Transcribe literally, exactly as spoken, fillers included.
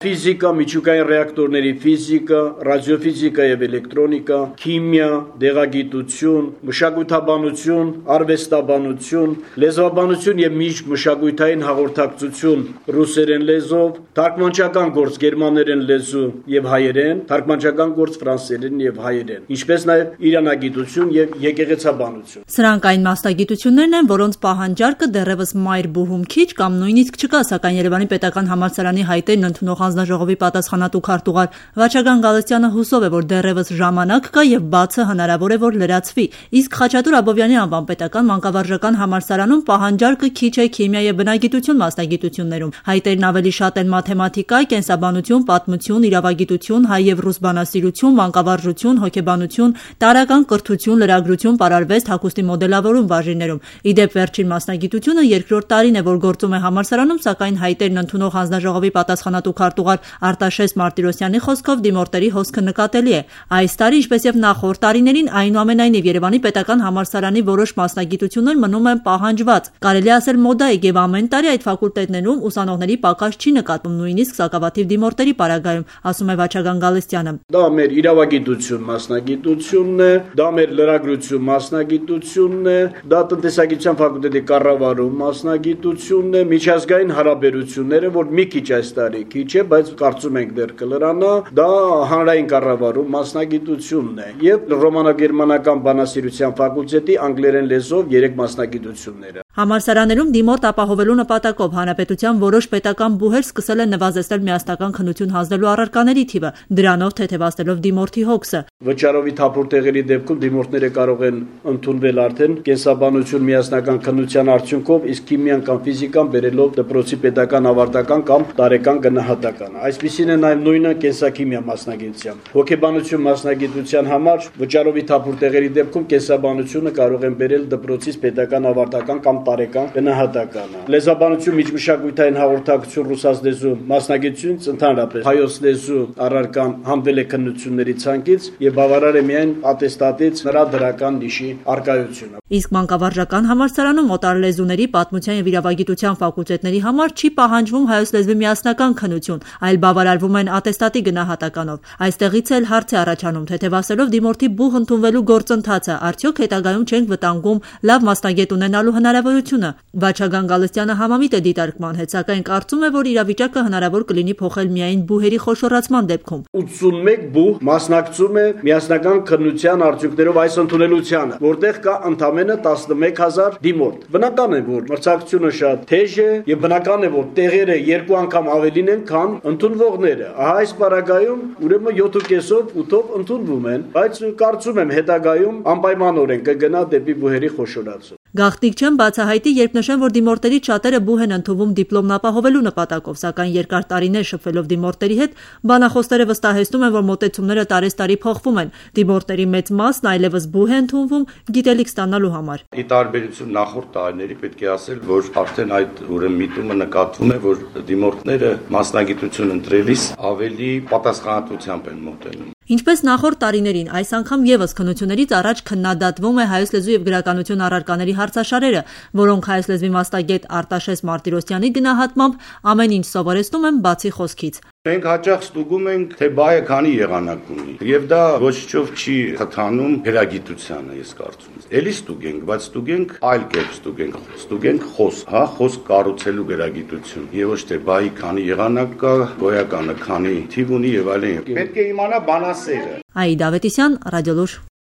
Ֆիզիկա, միջուկային ռեակտորների ֆիզիկա, ռադիոֆիզիկա եւ էլեկտրոնիկա, քիմիա, դեղագիտություն, մշակութաբանություն, արվեստաբանություն, լեզվաբանություն եւ միջմշակութային հաղորդակցություն ռուսերեն լեզվով, թարգմանչական գործ գերմաներեն լեզու եւ հայերեն, թարգմանչական գործ ֆրանսերեն եւ հայերեն, ինչպես նաեւ իրանագիտություն եւ եկեղեցաբանություն։ Սրանք այն մասնագիտություններն են, որոնց պահանջարկը դեռևս մայր բուհում քիչ կամ նույնիսկ չկա, սակայն Երևանի պետական համալսարանի հայտերն ընդունող հանձնաժողովի պատասխանատու քարտուղար Վաչագան Գալստյանը հուսով է, որ դեռևս ժամանակ կա եւ բացը հնարավոր է որ լրացվի։ Իսկ Խաչատուր Աբովյանի անվան պետական մանկավարժական համալսարանում պահանջարկը քիչ է քիմիա եւ բնագիտություն մասնագիտություններում։ Հայտերն ավելի շատ են մաթեմատիկա, կենսաբանություն, պատմություն, իրավագիտություն, հայ եւ ռուս բանասիրություն, մանկավարժություն, հոգեբանություն, տարրական կրթություն, լրագրություն, պարարվեստ, հագուստի մոդելավորում բաժիններում։ Իդեպ վերջին մասնագիտությունը երկրորդ տարին է, որ գործում է համալսարանում, սակայն հայտերն ընդունող հանձնաժողովի պատասխանատու քարտուղար Արտաշես Մարտիրոսյանի խոսքով դիմորդերի հոսքը նկատելի է։ Այս տարի, ինչպես եւ նախորդ տարիներին, այնուամենայնիվ Երևանի պետական համալսարանի որոշ մասնագիտություններ մնում են պահանջված։ Կարելի ասել մոդա է եւ ամեն տարի այդ ֆակուլտետներում ուսանողների պակաս չի նկատվում, նույնիսկ սակավաթիվ դիմորդերի պարագայում, ասում է Վաչագան Գալստյանը։ Դա մեր իրավագիտություն մասնագիտությունն է, դա մեր լրագրություն մասնագիտությունն է, դա տնտեսագիտության ֆակուլտետի կառավարում մասնագիտությունն է, միջազգային հարաբերությունները, որ մի քիչ այս տարի քիչ է, բայց կարծում ենք դեռ կլրանա, դա հանրային կառավարում մասնագիտությունն է եւ ռոմանագերմանական բանասիրության ֆակուլտետի անգլերեն լեզվով երեք մասնագիտությունները։ Համալսարաններում դիմորդ ապահովելու նպատակով հանրապետության որոշ պետական բուհեր սկսել են նվազեցնել միասնական քննություն հանձնելու առարկաների թիվը, դրանով թեթևացնելով դիմորդի հոգսը։ Վճարովի թափուր տեղերի դեպքում դիմորդները կարող են ընդունվել արդեն կենսաբանություն միասնական քննության արդյունքով, իսկ քիմիան կամ ֆիզիկան բերելով դպրոցի պետական ավարտական կամ տարեկան գնահատական։ Այսպիսին է նաև նույնը կենսաքիմիա մասնագիտությամբ։ Հոգեբանություն մասնագիտության համար վճարովի թափուր տեղերի դեպքում կենսաբանությունը կարող են բերել դպրոցից պետական ավարտական կամ տարեկան գնահատականը։ Լեզվաբանություն, միջմշակութային հաղորդակցություն, ռուսաց լեզու մասնագիտությունից ընդհանրապես հայոց լեզու առարկան հանվել է քննությունների ցանկից եւ բավարար է միայն ատեստատից նրա դրական նիշի արկայությունը։ Իսկ մանկավարժական համալսարանում օտար լեզուների, պատմության եւ իրավագիտության ֆակուլտետների համար չի պահանջվում հայոց լեզվի միասնական քննություն, այլ բավարարվում են ատեստատի գնահատականով։ Այստեղից էլ հարց է առաջանում, թեթևացելով դիմորդի բուհ ընդունվելու գործընթացը, արդյոք հետագայում չենք վտանգում լավ մասնագետ ունենալու հնարավորությունը։ Վաչագան Գալստյանը համամիտ է դիտարկման հետ, սակայն կարծում է, որ իրավիճակը հնարավոր կլինի փոխել միայն բուհերի խոշորացման դեպքում։ ութսունմեկ բուհ մասնակցում է միասնական քննության արդյունքներով այս ընդունելությանը, որտեղ կա ընդամենը տասնմեկ հազար դիմորդ։ Բնական է, որ մրցակցությունը շատ թեժ է եւ բնական է, որ տեղերը երկու անգամ ավելին են, քան ընդունվողները։ Ահա այս պարագայում ուրեմն յոթ ու կեսով ութով ընդունվում են, բայց կարծում եմ հետագայում անպայմանորեն կգնա դեպի բուհերի խոշորացում։ Գաղտնիք չեմ բացահայտի, երբ նշեմ, որ դիմորդներից շատերը բուհ են ընդունվում դիպլոմն ապահովելու նպատակով, սակայն երկար տարիներ շփվելով դիմորդների հետ, բանախոսները վստահեցնում են, որ մոտեցումները տարեստարի փոխվում են։ Դիմորդների մեծ մասն այլևս բուհ է ընդունվում գիտելիք ստանալու համար։ Ի տարբերություն նախորդ տարիների պետք է ասել, որ արդեն այդ ուրեմն միտումը նկատվում է, որ դիմորդները մասնագիտություն ընտրելիս ավելի պատասխանատվությամբ են մոտենում։ Ինչպես նախորդ տարիներին, այս անգամ եւս քննություններից առաջ քննադատվում է հայոց լեզու եւ գրականություն առարկաների հարցաշարերը, որոնք հայոց լեզվի մասնագետ Արտաշես Մարտիրոսյանի գնահատմամբ ամեն ինչ սովորեցնում են բացի խոսքից։ Մենք հաճախ ստուգում ենք, թե բայը քանի եղանակ ունի, եւ դա ոչ չով չի խթանում գրագիտությանը, ես կարծում եմ։ Էլի ստուգենք, բայց ստուգենք այլ կերպ ստուգենք, ստուգենք խոսք, հա, խոսք կառուցելու գրագիտություն, եւ ոչ թե բայի քանի եղանակ կա, գոյականը քանի թիվ ունի եւ այլն։ Պետք է իմանա բանասերը։ Այդա Ավետիսյան, Ռադիոլուր։